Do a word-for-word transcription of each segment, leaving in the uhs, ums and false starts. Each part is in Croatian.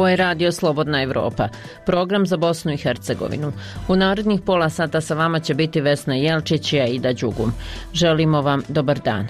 Ovo je Radio Slobodna Evropa, program za Bosnu i Hercegovinu. U narednih pola sata sa vama će biti Vesna Jelčić i Aida Đugum. Želimo vam dobar dan.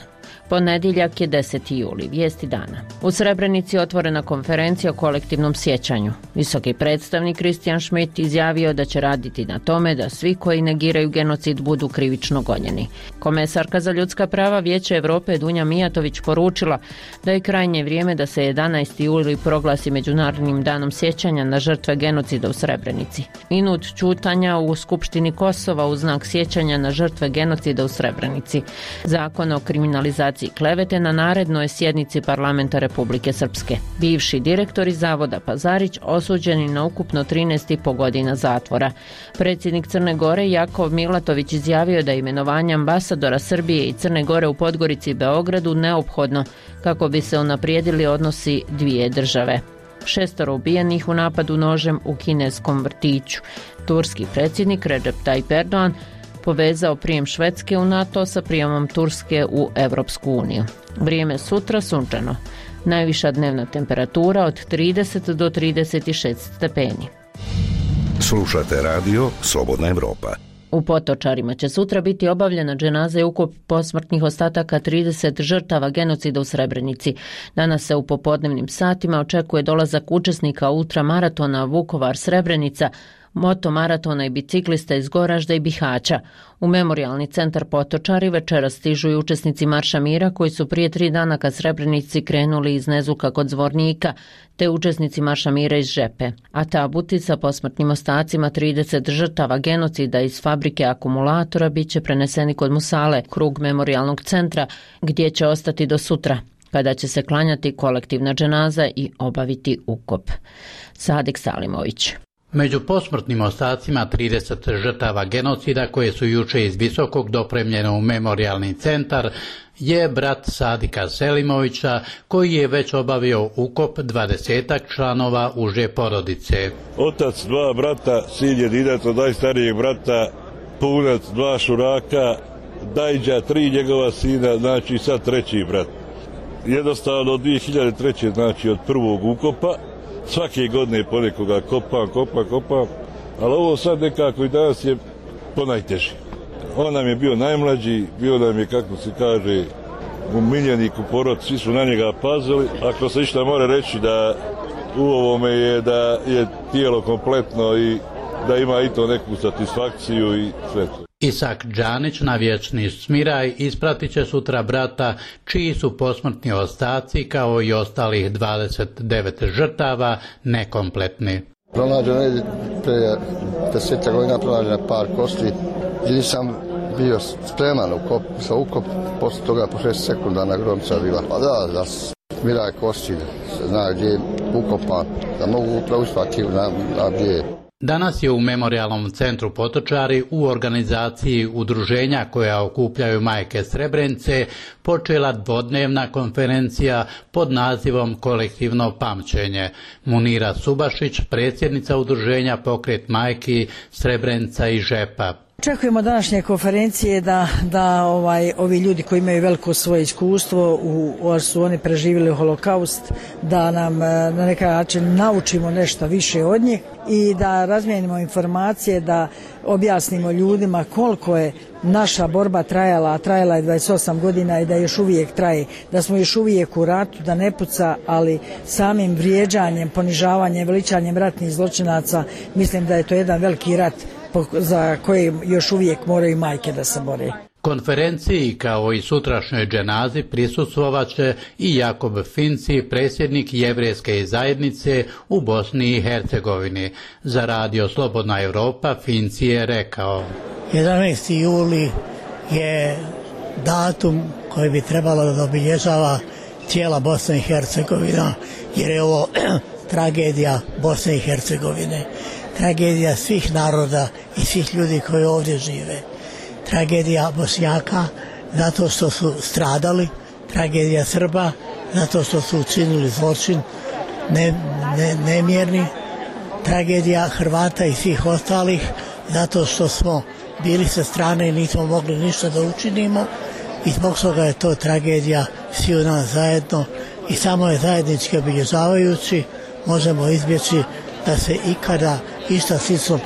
Ponedjeljak je deseti juli, vijesti dana. U Srebrenici je otvorena konferencija o kolektivnom sjećanju. Visoki predstavnik Christian Schmidt izjavio da će raditi na tome da svi koji negiraju genocid budu krivično gonjeni. Komesarka za ljudska prava Vijeća Europe Dunja Mijatović poručila da je krajnje vrijeme da se jedanaesti juli proglasi Međunarodnim danom sjećanja na žrtve genocida u Srebrenici. Minut ćutanja u Skupštini Kosova u znak sjećanja na žrtve genocida u Srebrenici. Zakon o kriminalizaciji klevete na narednoj sjednici Parlamenta Republike Srpske. Bivši direktori Zavoda Pazarić osuđeni na ukupno trinaest i po godina zatvora. Predsjednik Crne Gore Jakov Milatović izjavio da je imenovanje ambasadora Srbije i Crne Gore u Podgorici i Beogradu neophodno kako bi se unaprijedili odnosi dvije države. Šestoro ubijenih u napadu nožem u kineskom vrtiću. Turski predsjednik Recep Tayyip Erdogan povezao prijem Švedske u NATO sa prijemom Turske u Europsku uniju. Vrijeme sutra sunčano. Najviša dnevna temperatura od trideset do trideset šest stepeni. Slušate radio Slobodna Evropa. U Potočarima će sutra biti obavljena dženaza i ukop posmrtnih ostataka trideset žrtava genocida u Srebrenici. Danas se u popodnevnim satima očekuje dolazak učesnika ultramaratona Vukovar-Srebrenica, motomaratona i biciklista iz Goražda i Bihaća. U memorijalni centar Potočari večeras stižu i učesnici Marša mira koji su prije tri dana ka Srebrenici krenuli iz Nezuka kod Zvornika, te učesnici Marša mira iz Žepe. A tabuti sa posmrtnim ostacima trideset žrtava genocida iz fabrike akumulatora bit će preneseni kod Musale, krug memorijalnog centra, gdje će ostati do sutra, kada će se klanjati kolektivna dženaza i obaviti ukop. Sadik Salimović. Među posmrtnim ostacima trideset žrtava genocida koje su juče iz Visokog dopremljene u memorijalni centar je brat Sadika Selimovića koji je već obavio ukop dvadesetak članova uže porodice. Otac, dva brata, sin jedinac od najstarijeg brata, punac, dva šuraka, Dajđa, tri njegova sina, znači sad treći brat. Jednostavno od dvije hiljade treće. znači od prvog ukopa. Svake godine ponekoga kopam, kopam, kopam, ali ovo sad nekako i danas je ponajteži. On nam je bio najmlađi, bio nam je, kako se kaže, umiljenik u porod, svi su na njega pazili. Ako se išta mora reći da u ovome je da je tijelo kompletno i da ima i to neku satisfakciju i sve to. Isak Đanić na vječni smiraj ispratit će sutra brata čiji su posmrtni ostaci kao i ostalih dvadeset devet žrtava nekompletni. Pronađeno je prije desetak godina pronađeno par kosti i nisam bio spreman ukop, sa ukop, posle toga po šest sekunda na gromca bila. Pa da, da smiraj kosti, zna gdje je ukopan, da mogu upravo uspati na, na gdje. Danas je u memorijalnom centru Potočari u organizaciji udruženja koja okupljaju majke Srebrenice počela dvodnevna konferencija pod nazivom Kolektivno pamćenje. Munira Subašić, predsjednica udruženja Pokret majki Srebrenica i Žepa. Očekujemo današnje konferencije da, da ovaj, ovi ljudi koji imaju veliko svoje iskustvo, u, u, su oni preživjeli holokaust, da nam na neki način naučimo nešto više od njih i da razmijenimo informacije, da objasnimo ljudima koliko je naša borba trajala, a trajala je dvadeset osam godina i da još uvijek traje, da smo još uvijek u ratu, da ne puca, ali samim vrijeđanjem, ponižavanjem, veličanjem ratnih zločinaca, mislim da je to jedan veliki rat za koje još uvijek moraju majke da se bore. Konferenciji kao i sutrašnjoj dženazi prisustvovat će i Jakob Finci, predsjednik Jevrejske zajednice u Bosni i Hercegovini. Za Radio Slobodna Evropa Finci je rekao: jedanaesti juli je datum koji bi trebalo da obilježava cijela Bosna i Hercegovina, jer je ovo tragedija Bosne i Hercegovine. Tragedija svih naroda i svih ljudi koji ovdje žive. Tragedija Bošnjaka zato što su stradali, tragedija Srba zato što su učinili zločin ne, ne, nemjerni, tragedija Hrvata i svih ostalih zato što smo bili sa strane i nismo mogli ništa da učinimo i zbog toga je to tragedija svi u nas zajedno i samo je zajednički obilježavajući možemo izbjeći da se ikada išta slično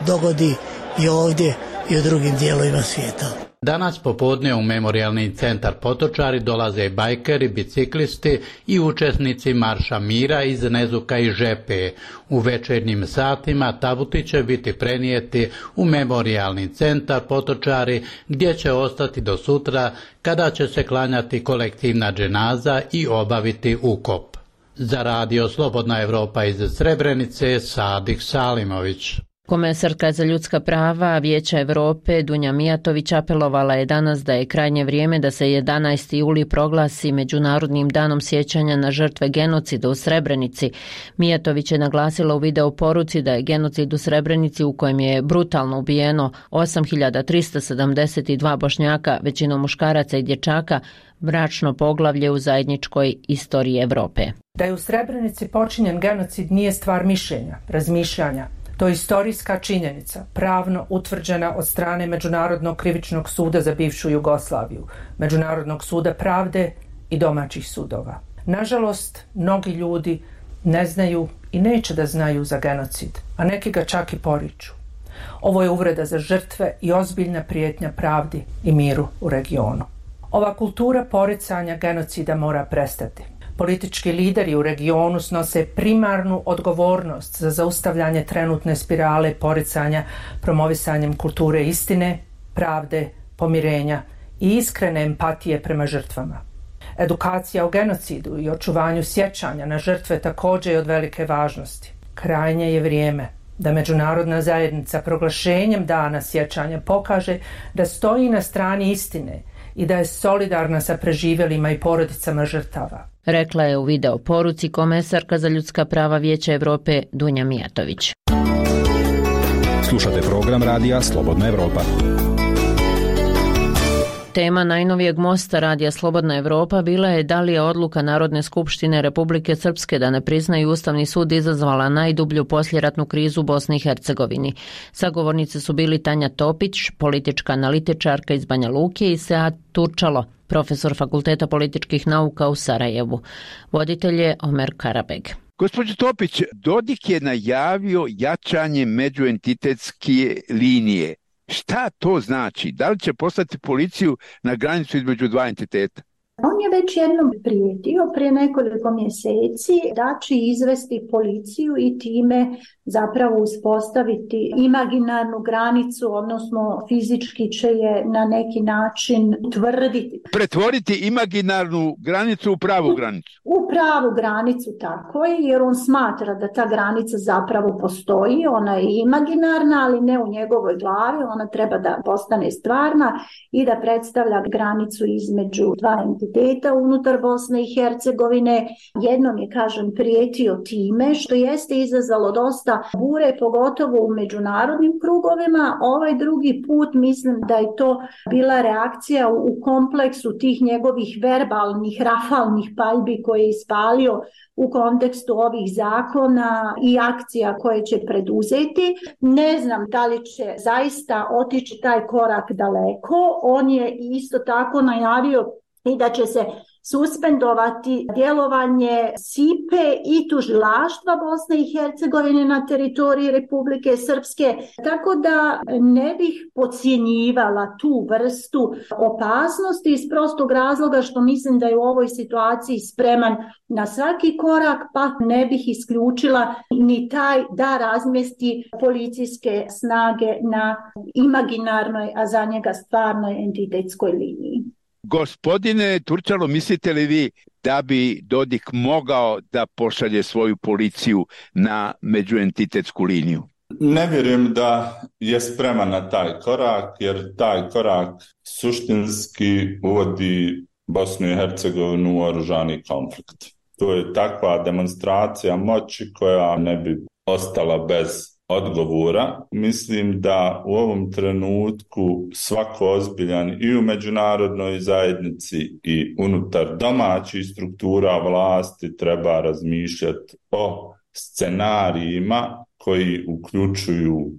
dogodi i ovdje i u drugim dijelovima svijeta. Danas popodne u Memorijalni centar Potočari dolaze bajkeri, biciklisti i učesnici Marša mira iz Nezuka i Žepe. U večernjim satima tabuti će biti prenijeti u Memorijalni centar Potočari, gdje će ostati do sutra, kada će se klanjati kolektivna dženaza i obaviti ukop. Za radio Slobodna Evropa iz Srebrenice, Sadik Salimović. Komesarka za ljudska prava Vijeća Europe Dunja Mijatović apelovala je danas da je krajnje vrijeme da se jedanaesti juli proglasi Međunarodnim danom sjećanja na žrtve genocida u Srebrenici. Mijatović je naglasila u video poruci da je genocid u Srebrenici, u kojem je brutalno ubijeno osam hiljada trista sedamdeset dva Bošnjaka, većinom muškaraca i dječaka, mračno poglavlje u zajedničkoj istoriji Europe. Da je u Srebrenici počinjen genocid nije stvar mišljenja, razmišljanja. To je istorijska činjenica, pravno utvrđena od strane Međunarodnog krivičnog suda za bivšu Jugoslaviju, Međunarodnog suda pravde i domaćih sudova. Nažalost, mnogi ljudi ne znaju i neće da znaju za genocid, a neki ga čak i poriču. Ovo je uvreda za žrtve i ozbiljna prijetnja pravdi i miru u regionu. Ova kultura poricanja genocida mora prestati. Politički lideri u regionu snose primarnu odgovornost za zaustavljanje trenutne spirale poricanja promovisanjem kulture istine, pravde, pomirenja i iskrene empatije prema žrtvama. Edukacija o genocidu i očuvanju sjećanja na žrtve također je od velike važnosti. Krajnje je vrijeme da međunarodna zajednica proglašenjem dana sjećanja pokaže da stoji na strani istine i da je solidarna sa preživjelima i porodicama žrtava. Rekla je u video poruci komesarka za ljudska prava Vijeća Europe Dunja Mijatović. Slušate program radija Slobodna Evropa. Tema najnovijeg mosta radija Slobodna Evropa bila je da li je odluka Narodne skupštine Republike Srpske da ne priznaju Ustavni sud izazvala najdublju poslijeratnu krizu u Bosni i Hercegovini. Sagovornice su bili Tanja Topić, politička analitičarka iz Banja Luke, i Sead Turčalo, profesor Fakulteta političkih nauka u Sarajevu. Voditelj je Omer Karabeg. Gospođo Topić, Dodik je najavio jačanje međuentitetske linije. Šta to znači? Da li će poslati policiju na granicu između dva entiteta? On je već jednom prijetio prije nekoliko mjeseci da će izvesti policiju i time zapravo uspostaviti imaginarnu granicu, odnosno fizički će je na neki način utvrditi. Pretvoriti imaginarnu granicu u pravu granicu? U pravu granicu, tako je, jer on smatra da ta granica zapravo postoji, ona je imaginarna, ali ne u njegovoj glavi, ona treba da postane stvarna i da predstavlja granicu između dva entiteta unutar Bosne i Hercegovine. Jednom je, kažem, prijetio time, što jeste izazvalo dosta bure, pogotovo u međunarodnim krugovima. Ovaj drugi put mislim da je to bila reakcija u kompleksu tih njegovih verbalnih, rafalnih paljbi koje je ispalio u kontekstu ovih zakona i akcija koje će preduzeti. Ne znam da li će zaista otići taj korak daleko. On je isto tako najavio i da će se suspendovati djelovanje S I P E i tužilaštva Bosne i Hercegovine na teritoriji Republike Srpske, tako da ne bih podcjenjivala tu vrstu opasnosti iz prostog razloga što mislim da je u ovoj situaciji spreman na svaki korak, pa ne bih isključila ni taj da razmjesti policijske snage na imaginarnoj, a za njega stvarnoj entitetskoj liniji. Gospodine Turčalo, mislite li vi da bi Dodik mogao da pošalje svoju policiju na međuentitetsku liniju? Ne vjerujem da je spreman na taj korak, jer taj korak suštinski uvodi Bosnu i Hercegovinu u oružani konflikt. To je takva demonstracija moći koja ne bi ostala bez odgovora. Mislim da u ovom trenutku svako ozbiljan i u međunarodnoj zajednici i unutar domaćih struktura vlasti treba razmišljati o scenarijima koji uključuju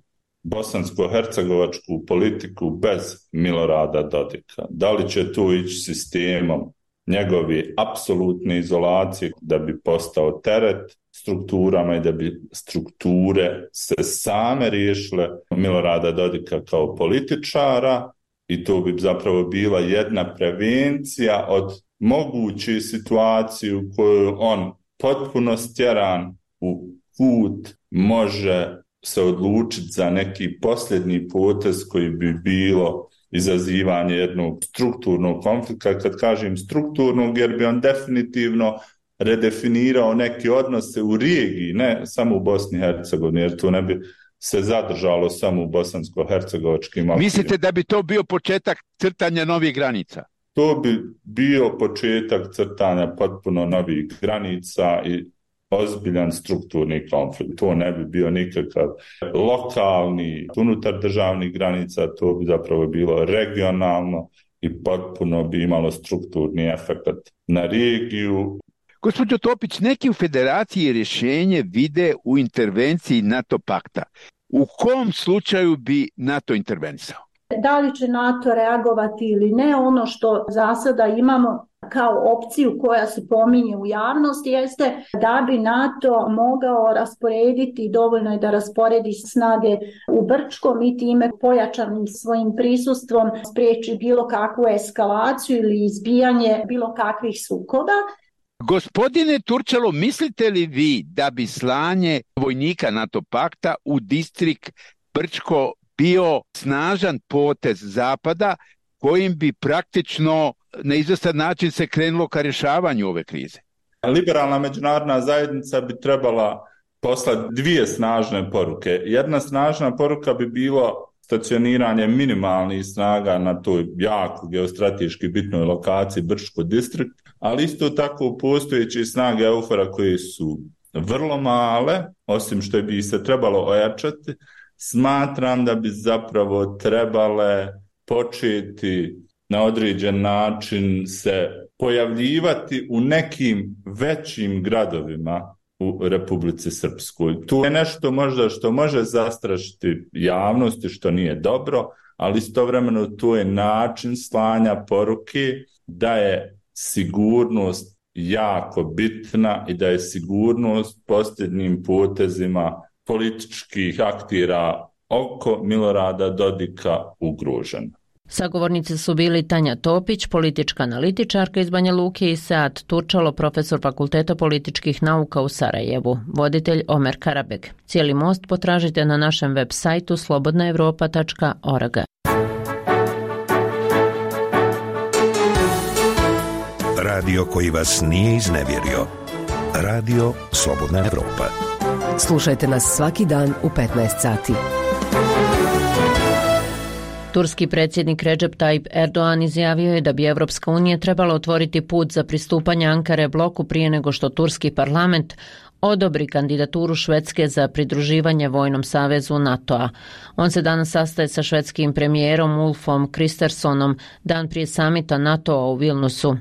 bosansko-hercegovačku politiku bez Milorada Dodika. Da li će tu ići sistemom njegove apsolutne izolacije da bi postao teret, s strukturama i da bi strukture se same riješile Milorada Dodika kao političara i to bi zapravo bila jedna prevencija od moguće situacije u kojoj on potpuno stjeran u kut može se odlučiti za neki posljednji potez koji bi bilo izazivanje jednog strukturnog konflikta. Kad kažem strukturnog, jer bi on definitivno redefinirao neke odnose u regiji, ne samo u Bosni i Hercegovini, jer to ne bi se zadržalo samo u bosansko-hercegovačkim okvirima. Mislite da bi to bio početak crtanja novih granica? To bi bio početak crtanja potpuno novih granica i ozbiljan strukturni konflikt. To ne bi bio nikakav lokalni, unutar državnih granica, to bi zapravo bilo regionalno i potpuno bi imalo strukturni efekt na regiju. Gospođo Topić, neki u federaciji rješenje vide u intervenciji NATO pakta. U kom slučaju bi NATO intervenisao? Da li će NATO reagovati ili ne, ono što za sada imamo kao opciju koja se pominje u javnosti jeste da bi NATO mogao rasporediti, dovoljno je da rasporedi snage u Brčkom i time pojačanim svojim prisustvom spriječi bilo kakvu eskalaciju ili izbijanje bilo kakvih sukoba. Gospodine Turčalo, mislite li vi da bi slanje vojnika NATO pakta u distrikt Brčko bio snažan potez Zapada kojim bi praktično na izvestan način se krenulo ka rješavanju ove krize? Liberalna međunarodna zajednica bi trebala poslati dvije snažne poruke. Jedna snažna poruka bi bilo stacioniranje minimalnih snaga na toj jako geostrateški bitnoj lokaciji Brčko distrikt, ali isto tako postojeće snage EUFOR-a koje su vrlo male, osim što bi se trebalo ojačati. Smatram da bi zapravo trebale početi na određen način se pojavljivati u nekim većim gradovima u Republici Srpskoj. To je nešto možda što može zastrašiti javnosti, što nije dobro, ali istovremeno to je način slanja poruke da je sigurnost jako bitna i da je sigurnost posljednjim potezima političkih aktera oko Milorada Dodika ugrožena. Sagovornici su bili Tanja Topić, politička analitičarka iz Banja Luke, i Sead Turčalo, profesor Fakulteta političkih nauka u Sarajevu, voditelj Omer Karabeg. Cijeli most potražite na našem web sajtu slobodna europa tačka org. Radio koji vas nije iznevjerio. Radio Slobodna Evropa. Slušajte nas svaki dan u petnaest sati. Turski predsjednik Recep Tayyip Erdogan izjavio je da bi Evropska unija trebala otvoriti put za pristupanje Ankare bloku prije nego što turski parlament odobri kandidaturu Švedske za pridruživanje vojnom savezu NATO-a. On se danas sastaje sa švedskim premijerom Ulfom Kristersonom dan prije samita NATO-a u Vilnusu.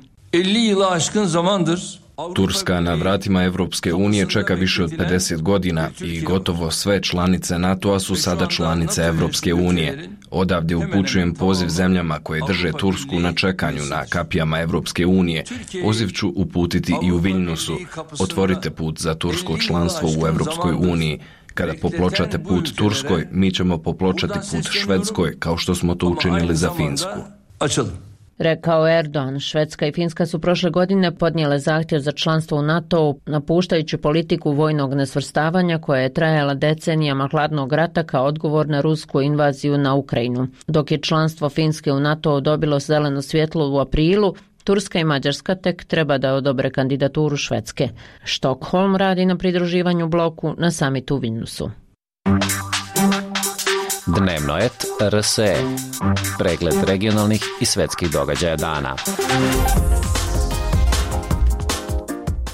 Turska na vratima Evropske unije čeka više od pedeset godina i gotovo sve članice NATO-a su sada članice Evropske unije. Odavde upućujem poziv zemljama koje drže Tursku na čekanju na kapijama Evropske unije. Poziv ću uputiti i u Viljnusu. Otvorite put za tursko članstvo u Evropskoj uniji. Kada popločate put Turskoj, mi ćemo popločati put Švedskoj, kao što smo to učinili za Finsku. Rekao Erdogan. Švedska i Finska su prošle godine podnijele zahtjev za članstvo u NATO-u, napuštajući politiku vojnog nesvrstavanja koja je trajala decenijama hladnog rata kao odgovor na rusku invaziju na Ukrajinu. Dok je članstvo Finske u NATO-u dobilo zeleno svjetlo u aprilu, Turska i Mađarska tek treba da odobre kandidaturu Švedske. Štokholm radi na pridruživanju bloku na samitu u Vilnusu. Dnevnoet R S E. Pregled regionalnih i svetskih događaja dana.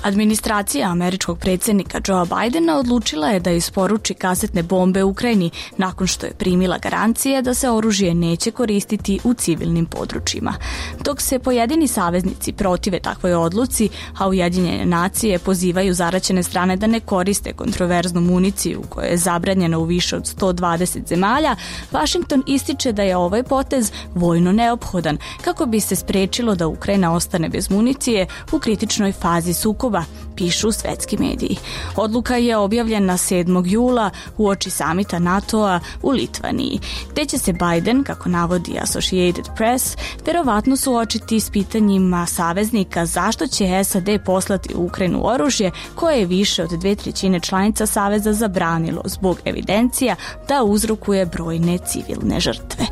Administracija američkog predsjednika Joea Bidena odlučila je da isporuči kasetne bombe Ukrajini nakon što je primila garancije da se oružje neće koristiti u civilnim područjima. Dok se pojedini saveznici protive takvoj odluci, a Ujedinjene nacije pozivaju zaraćene strane da ne koriste kontroverznu municiju koja je zabranjena u više od sto dvadeset zemalja, Washington ističe da je ovaj potez vojno neophodan kako bi se sprečilo da Ukrajina ostane bez municije u kritičnoj fazi sukoba, pišu svetski mediji. Odluka je objavljena sedmog jula uoči samita NATO-a u Litvaniji, te će se Biden, kako navodi Associated Press, verovatno suočiti s pitanjima saveznika zašto će S A D poslati u Ukrajinu oružje koje je više od dve trećine članica saveza zabranilo zbog evidencija da uzrokuje brojne civilne žrtve.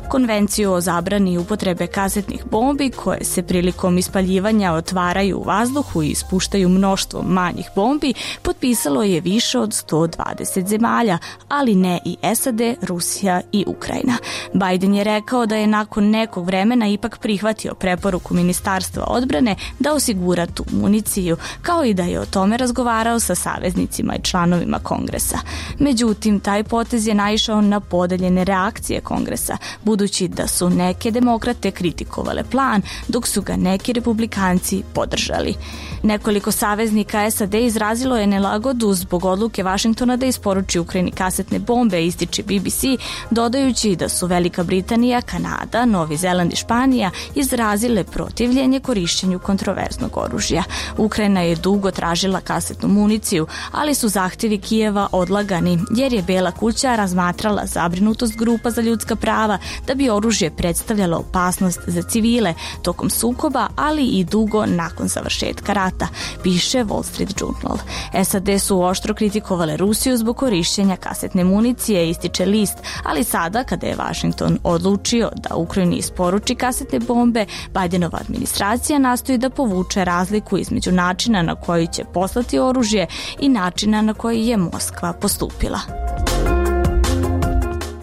Konvenciju o zabrani upotrebe kasetnih bombi koje se prilikom ispaljivanja otvaraju u vazduhu i ispuštaju mnoštvo manjih bombi potpisalo je više od sto dvadeset zemalja, ali ne i S A D, Rusija i Ukrajina. Biden je rekao da je nakon nekog vremena ipak prihvatio preporuku Ministarstva odbrane da osigura tu municiju, kao i da je o tome razgovarao sa saveznicima i članovima Kongresa. Međutim, taj potez je naišao na podeljene reakcije Kongresa, budući da su neke demokrate kritikovale plan, dok su ga neki republikanci podržali. Nekoliko saveznika S A D izrazilo je nelagodu zbog odluke Vašingtona da isporuči Ukrajini kasetne bombe, ističe B B C, dodajući da su Velika Britanija, Kanada, Novi Zeland i Španija izrazile protivljenje korišćenju kontroverznog oružja. Ukrajina je dugo tražila kasetnu municiju, ali su zahtjevi Kijeva odlagani, jer je Bela kuća razmatrala zabrinutost grupa za ljudska prava da bi oružje predstavljalo opasnost za civile tokom sukoba, ali i dugo nakon završetka rata, piše Wall Street Journal. S A D su oštro kritikovale Rusiju zbog korišćenja kasetne municije, ističe list, ali sada kada je Washington odlučio da Ukrajini isporuči kasetne bombe, Bidenova administracija nastoji da povuče razliku između načina na koji će poslati oružje i načina na koji je Moskva postupila.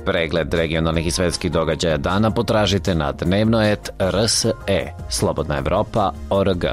Pregled regionalnih i svetskih događaja dana potražite na dnevno et r s e, slobodna evropa tačka org.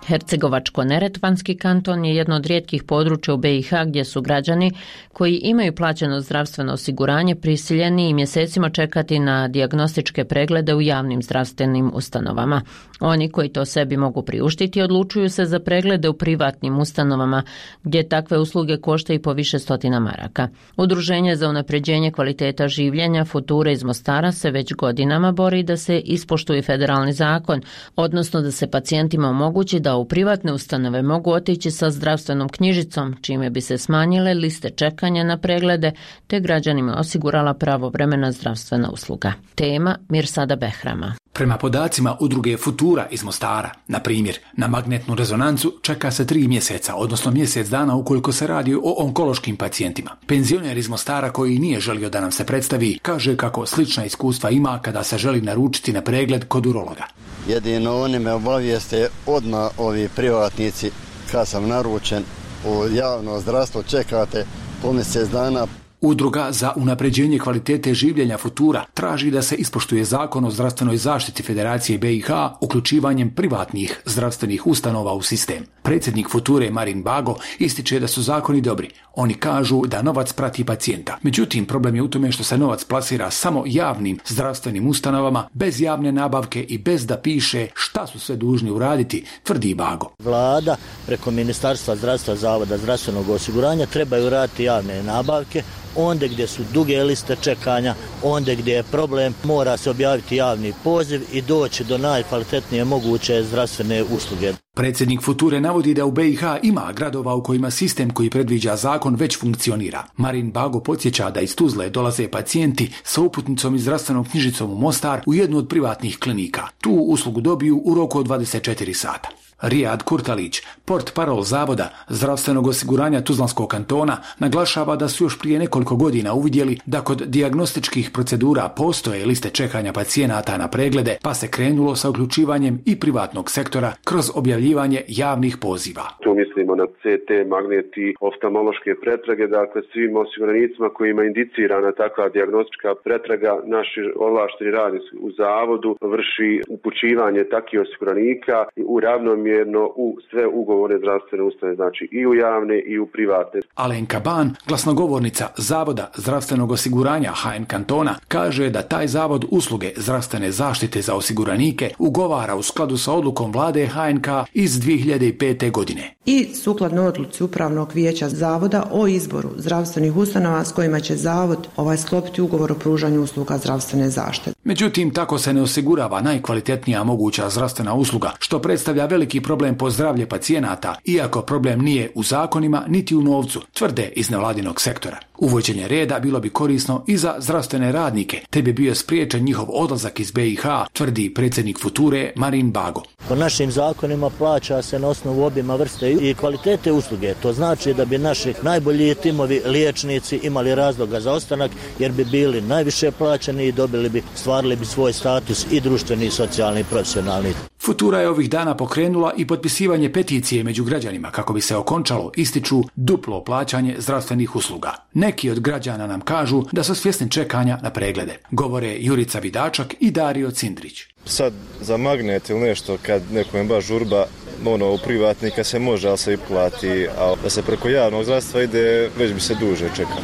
Hercegovačko-neretvanski kanton je jedno od rijetkih područja u B i H gdje su građani koji imaju plaćeno zdravstveno osiguranje prisiljeni i mjesecima čekati na dijagnostičke preglede u javnim zdravstvenim ustanovama. Oni koji to sebi mogu priuštiti odlučuju se za preglede u privatnim ustanovama gdje takve usluge koštaju po više stotina maraka. Udruženje za unapređenje kvaliteta življenja Future iz Mostara se već godinama bori da se ispoštuje federalni zakon, odnosno da se pacijentima omogući da u privatne ustanove mogu otići sa zdravstvenom knjižicom, čime bi se smanjile liste čekanja na preglede te građanima osigurala pravovremena zdravstvena usluga. Tema Mirsada Behrama. Prema podacima udruge Futura iz Mostara, na primjer, na magnetnu rezonancu čeka se tri mjeseca, odnosno mjesec dana ukoliko se radi o onkološkim pacijentima. Penzioner iz Mostara koji nije želio da nam se predstavi, kaže kako slična iskustva ima kada se želi naručiti na pregled kod urologa. Jedino oni me obavijeste odmah ovi privatnici kad sam naručen u javno zdravstvo čekate po mjesec dana. Udruga za unapređenje kvalitete življenja Futura traži da se ispoštuje zakon o zdravstvenoj zaštiti Federacije B i H uključivanjem privatnih zdravstvenih ustanova u sistem. Predsjednik Future Marin Bago ističe da su zakoni dobri. Oni kažu da novac prati pacijenta. Međutim, problem je u tome što se novac plasira samo javnim zdravstvenim ustanovama, bez javne nabavke i bez da piše šta su sve dužni uraditi, tvrdi Bago. Vlada preko Ministarstva zdravstva, Zavoda zdravstvenog osiguranja trebaju raditi javne nabavke. Onda gdje su duge liste čekanja, onda gdje je problem, mora se objaviti javni poziv i doći do najkvalitetnije moguće zdravstvene usluge. Predsjednik Future navodi da u B i H ima gradova u kojima sistem koji predviđa zakon već funkcionira. Marin Bago podsjeća da iz Tuzle dolaze pacijenti sa uputnicom i zdravstvenom knjižicom u Mostar u jednu od privatnih klinika. Tu uslugu dobiju u roku od dvadeset četiri sata. Rijad Kurtalić, portparol Zavoda zdravstvenog osiguranja Tuzlanskog kantona, naglašava da su još prije nekoliko godina uvidjeli da kod dijagnostičkih procedura postoje liste čekanja pacijenata na preglede, pa se krenulo sa uključivanjem i privatnog sektora kroz objavljivanje javnih poziva. Tu mislimo na C T, magneti, oftalmološke pretrage, dakle svim osiguranicima kojima je indicirana takva dijagnostička pretraga, naši ovlašteni radnici u Zavodu vrši upućivanje takvih osiguranika u ravnomjerno u sve ugovorne zdravstvene ustanove, znači i u javne i u privatne. Alenka Ban, glasnogovornica Zavoda zdravstvenog osiguranja H N kantona, kaže da taj zavod usluge zdravstvene zaštite za osiguranike ugovara u skladu sa odlukom vlade H N K iz dvije hiljade pete. godine. I sukladno odluci Upravnog vijeća Zavoda o izboru zdravstvenih ustanova s kojima će Zavod ovaj sklopiti ugovor o pružanju usluga zdravstvene zaštite. Međutim, tako se ne osigurava najkvalitetnija moguća zdravstvena usluga, što predstavlja veliki problem po zdravlje pacijenata, iako problem nije u zakonima niti u novcu, tvrde iz nevladinog sektora. Uvođenje reda bilo bi korisno i za zdravstvene radnike, te bi bio spriječen njihov odlazak iz B i H, tvrdi predsjednik Future Marin Bago. Po našim zakonima plaća se na osnovu obima, vrste i kvalitete usluge. To znači da bi naši najbolji timovi liječnici imali razloga za ostanak, jer bi bili najviše plaćeni i dobili bi, stvarili bi svoj status i društveni, i socijalni, i profesionalni. Futura je ovih dana pokrenula i potpisivanje peticije među građanima kako bi se okončalo, ističu, duplo plaćanje zdravstvenih usluga. Neki od građana nam kažu da su svjesni čekanja na preglede. Govore Jurica Vidačak i Dario Cindrić. Sad za magnet ili nešto kad nekom je baš žurba, ono u privatnika se može, ali se i plati, a da se preko javnog zdravstva ide, već bi se duže čekalo.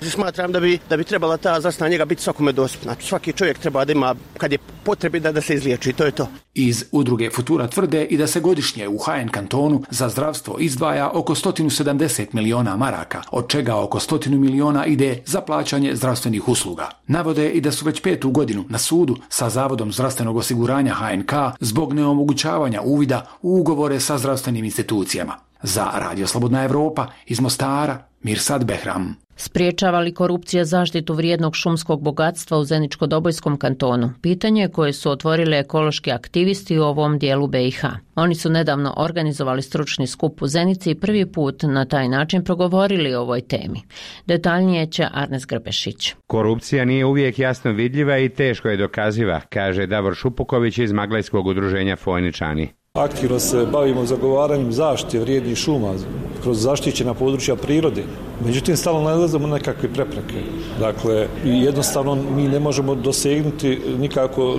Smatram da bi, da bi trebala ta zdravstvena njega biti svakome dostupna. Svaki čovjek treba da ima, kad je potrebi, da, da se izliječi, to je to. Iz udruge Futura tvrde i da se godišnje u H N kantonu za zdravstvo izdvaja oko sto sedamdeset miliona maraka, od čega oko sto miliona ide za plaćanje zdravstvenih usluga. Navode i da su već petu godinu na sudu sa Zavodom zdravstvenog osiguranja H N K zbog neomogućavanja uvida u ugovore sa zdravstvenim institucijama. Za Radio Slobodna Evropa iz Mostara, Mirsad Behram. Spriječava li korupcija zaštitu vrijednog šumskog bogatstva u Zeničko-Dobojskom kantonu? Pitanje koje su otvorili ekološki aktivisti u ovom dijelu B i H. Oni su nedavno organizovali stručni skup u Zenici i prvi put na taj način progovorili o ovoj temi. Detaljnije će Arnes Grbešić. Korupcija nije uvijek jasno vidljiva i teško je dokaziva, kaže Davor Šupuković iz Maglajskog udruženja Fojničani. Aktivno se bavimo zagovaranjem zaštite vrijednih šuma kroz zaštićena područja prirode. Međutim, stalno nalazimo nekakve prepreke. Dakle, jednostavno mi ne možemo dosegnuti nikako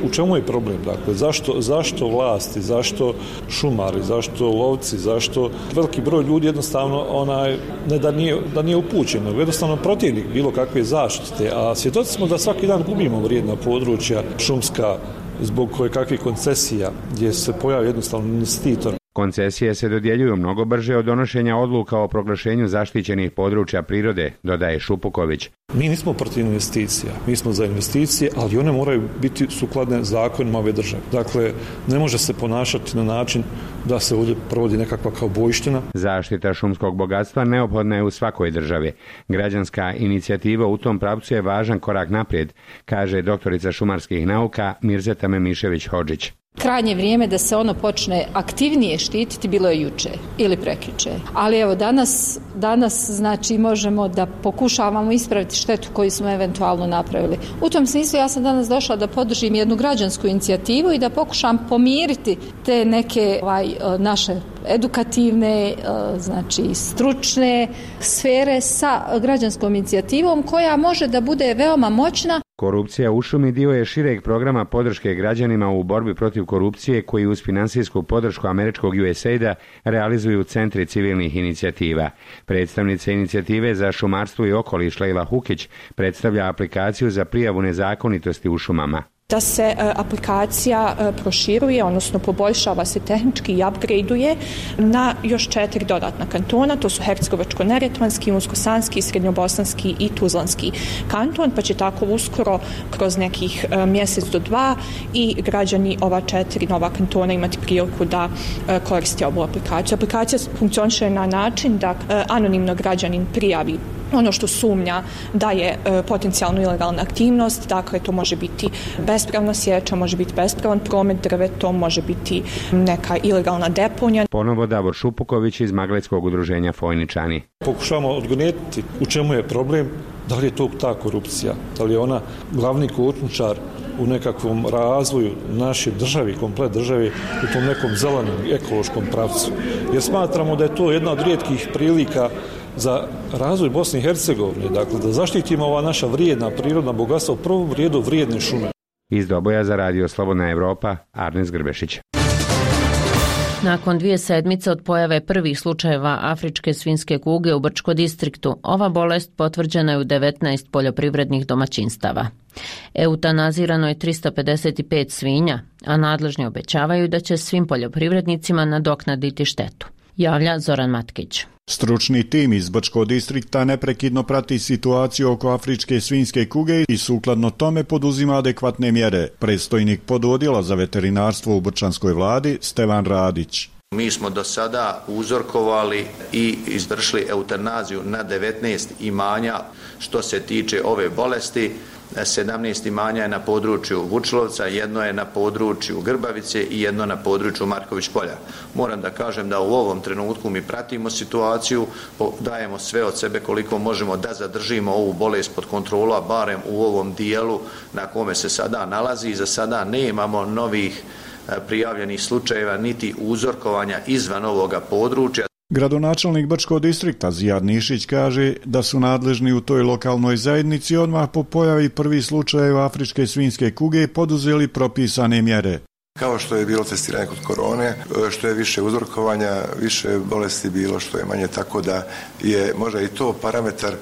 u čemu je problem. Dakle, zašto, zašto vlasti, zašto šumari, zašto lovci, zašto veliki broj ljudi jednostavno onaj, ne da nije, da nije upućen, nego jednostavno protivnik bilo kakve zaštite. A svjedoci smo da svaki dan gubimo vrijedna područja šumska zbog koje kakvih koncesija gdje se pojavi jednostavno investitor. Koncesije se dodjeljuju mnogo brže od donošenja odluka o proglašenju zaštićenih područja prirode, dodaje Šupuković. Mi nismo protiv investicija, mi smo za investicije, ali one moraju biti sukladne zakonima ove države. Dakle, ne može se ponašati na način da se ovdje provodi nekakva kaubojština. Zaštita šumskog bogatstva neophodna je u svakoj državi. Građanska inicijativa u tom pravcu je važan korak naprijed, kaže doktorica šumarskih nauka Mirzeta Memišević-Hodžić. Krajnje vrijeme da se ono počne aktivnije štititi bilo je juče ili prekjuče. Ali evo danas, danas znači možemo da pokušavamo ispraviti štetu koju smo eventualno napravili. U tom smislu ja sam danas došla da podržim jednu građansku inicijativu i da pokušam pomiriti te neke ovaj, naše edukativne, znači stručne sfere sa građanskom inicijativom koja može da bude veoma moćna. Korupcija u šumi dio je šireg programa podrške građanima u borbi protiv korupcije koji uz finansijsku podršku američkog U S A I D-a realizuju centri civilnih inicijativa. Predstavnica inicijative za šumarstvo i okoliš Lejla Hukić predstavlja aplikaciju za prijavu nezakonitosti u šumama. Da se e, aplikacija e, proširuje, odnosno poboljšava se tehnički i upgradeuje na još četiri dodatna kantona, to su Hercegovačko-neretvanski, Unsko-sanski, Srednjobosanski i Tuzlanski kanton, pa će tako uskoro kroz nekih e, mjesec do dva i građani ova četiri nova kantona imati priliku da e, koriste ovu aplikaciju. Aplikacija funkcioniše na način da e, anonimno građanin prijavi ono što sumnja da je e, potencijalno ilegalna aktivnost, dakle to može biti bespravna sječa, može biti bespravan promet drvetom, može biti neka ilegalna deponija. Ponovo Davor Šupuković iz Maglajskog udruženja Fojničani. Pokušavamo odgonetiti u čemu je problem, da li je to ta korupcija, da li je ona glavni kočničar u nekakvom razvoju naše države, komplet države u tom nekom zelenom ekološkom pravcu. Jer smatramo da je to jedna od rijetkih prilika za razvoj Bosne i Hercegovine, dakle da zaštitimo ova naša vrijedna prirodna bogatstva, u prvom redu vrijedne šume. Iz Doboja za Radio Slobodna Evropa, Arnes Grbešić. Nakon dvije sedmice od pojave prvih slučajeva afričke svinjske kuge u Brčko distriktu, ova bolest potvrđena je u devetnaest poljoprivrednih domaćinstava. Eutanazirano je tristo pedeset pet svinja, a nadležni obećavaju da će svim poljoprivrednicima nadoknaditi štetu. javlja Zoran Matkić. Stručni tim iz Brčkog distrikta neprekidno prati situaciju oko afričke svinjske kuge i sukladno tome poduzima adekvatne mjere. Predstojnik pododjela za veterinarstvo u Brčanskoj vladi Stevan Radić. Mi smo do sada uzorkovali i izvršili eutanaziju na devetnaest imanja što se tiče ove bolesti. sedamnaest imanja je na području Vučlovca, jedno je na području Grbavice i jedno na području Marković polja. Moram da kažem da u ovom trenutku mi pratimo situaciju, dajemo sve od sebe koliko možemo da zadržimo ovu bolest pod kontrolu, a barem u ovom dijelu na kome se sada nalazi. I za sada nemamo novih prijavljenih slučajeva niti uzorkovanja izvan ovoga područja. Gradonačelnik Brčkog distrikta Zijad Nišić kaže da su nadležni u toj lokalnoj zajednici odmah po pojavi prvi slučajeva afričke svinjske kuge poduzeli propisane mjere. Kao što je bilo testiranje kod korone, što je više uzorkovanja, više bolesti bilo, što je manje, tako da je možda i to parametar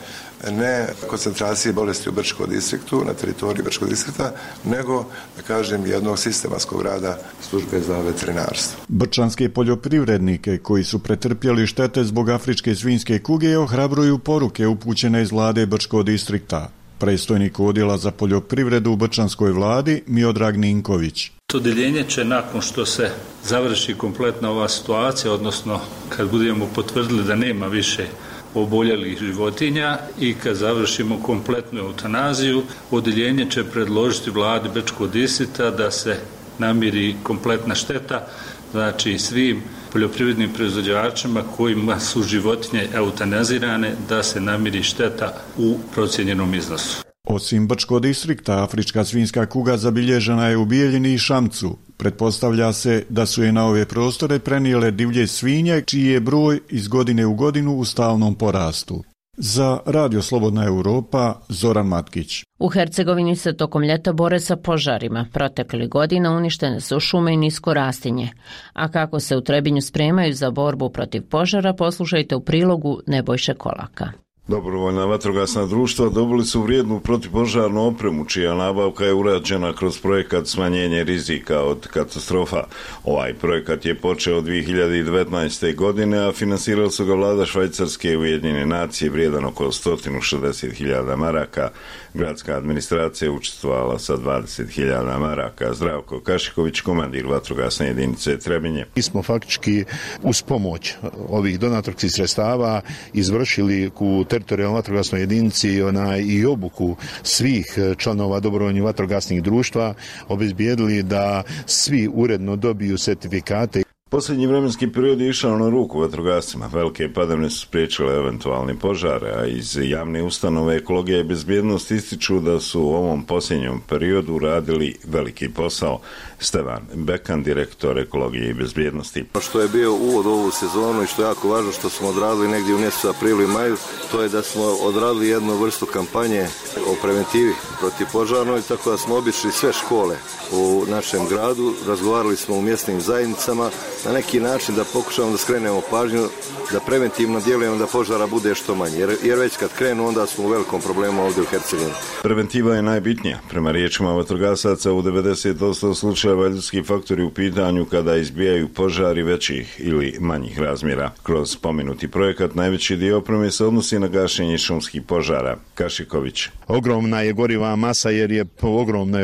ne koncentracije bolesti u Brčkom distriktu, na teritoriji Brčkog distrikta, nego, da kažem, jednog sistematskog rada službe za veterinarstvo. Brčanske poljoprivrednike koji su pretrpjeli štete zbog afričke svinjske kuge ohrabruju poruke upućene iz vlade Brčkog distrikta. Predstojnik odjela za poljoprivredu u Brčanskoj vladi Miodrag Ninković. Odeljenje će nakon što se završi kompletna ova situacija, odnosno kad budemo potvrdili da nema više oboljelih životinja i kad završimo kompletnu eutanaziju, odeljenje će predložiti vladi Brčkog distrikta da se namiri kompletna šteta, znači svim poljoprivrednim proizvođačima kojima su životinje eutanazirane da se namiri šteta u procijenjenom iznosu. Osim Brčkog distrikta, afrička svinjska kuga zabilježena je u Bijeljini i Šamcu. Pretpostavlja se da su je na ove prostore prenijele divlje svinje, čiji je broj iz godine u godinu u stalnom porastu. Za Radio Slobodna Europa, Zoran Matkić. U Hercegovini se tokom ljeta bore sa požarima. Proteklih godina uništene su šume i nisko rastinje. A kako se u Trebinju spremaju za borbu protiv požara, poslušajte u prilogu Nebojše Kolaka. Dobrovoljna vatrogasna društva dobili su vrijednu protivpožarnu opremu, čija nabavka je urađena kroz projekat smanjenje rizika od katastrofa. Ovaj projekat je počeo dvije hiljade devetnaeste. godine, a finansirali su ga vlada Švajcarske i Ujedinjene nacije vrijedan oko sto šezdeset hiljada maraka. Gradska administracija učestvovala sa dvadeset hiljada maraka. Zdravko Kašiković, komandir vatrogasne jedinice Trebinje. Mi smo faktički uz pomoć ovih donatorskih sredstava izvršili u teritorijalnoj vatrogasnoj jedinici onaj, i obuku svih članova dobrovoljnih vatrogasnih društva, obezbijedili da svi uredno dobiju sertifikate. Posljednji vremenski period je išao na ruku vatrogascima. Velike padavine su spriječile eventualne požare, a iz javne ustanove Ekologija i bezbjednost ističu da su u ovom posljednjem periodu radili veliki posao. Stevan Bekan, direktor Ekologije i bezbjednosti. Što je bio uvod u ovu sezonu i što je jako važno što smo odradili negdje u mjesecu aprilu i maju, to je da smo odradili jednu vrstu kampanje o preventivi protiv požarnoj, tako da smo obišli sve škole u našem gradu, razgovarali smo u mjesnim zajednicama, na neki način da pokušamo da skrenemo pažnju, da preventivno djelujemo da požara bude što manje. Jer, jer već kad krenu, onda smo u velikom problemu ovdje u Hercegovini. Preventiva je najbitnija. Prema riječima vatrogasaca u devedeset posto slučajeva ljudski faktori u pitanju kada izbijaju požari većih ili manjih razmjera. Kroz spomenuti projekat najveći dio opreme se odnosi na gašenje šumskih požara. Kašiković. Ogromna je goriva masa jer je ogromne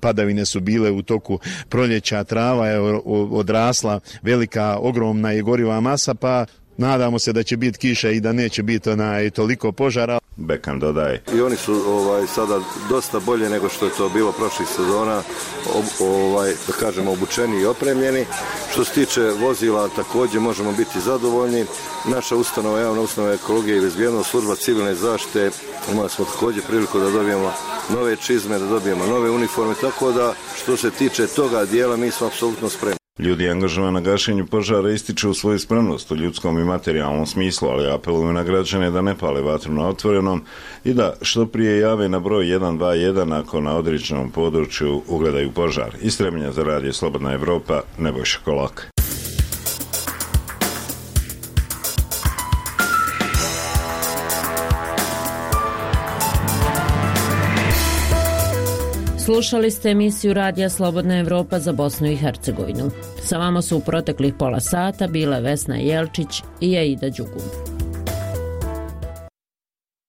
padavine su bile u toku proljeća, trava je odrasla, velika, ogromna je goriva masa, pa nadamo se da će biti kiša i da neće biti onaj toliko požara. Bekan dodaje. I oni su ovaj, sada dosta bolje nego što je to bilo prošlih sezona, ob, ovaj, da kažemo obučeni i opremljeni. Što se tiče vozila, također možemo biti zadovoljni. Naša ustanova, javna ustanova Ekologije i bezbjednost, služba civilne zaštite, imali smo također priliku da dobijemo nove čizme, da dobijemo nove uniforme, tako da što se tiče toga dijela mi smo apsolutno spremni. Ljudi angažovani na gašenju požara ističu svoju spremnost u ljudskom i materijalnom smislu, ali apeluju na građane da ne pale vatru na otvorenom i da što prije jave na broj jedan dva jedan ako na određenom području ugledaju požar. Iz Trebinja za Radio Slobodna Evropa, Nebojša Kolak. Slušali ste emisiju Radija Slobodna Evropa za Bosnu i Hercegovinu. Sa vama su u proteklih pola sata bile Vesna Jelčić i Aida Đugum.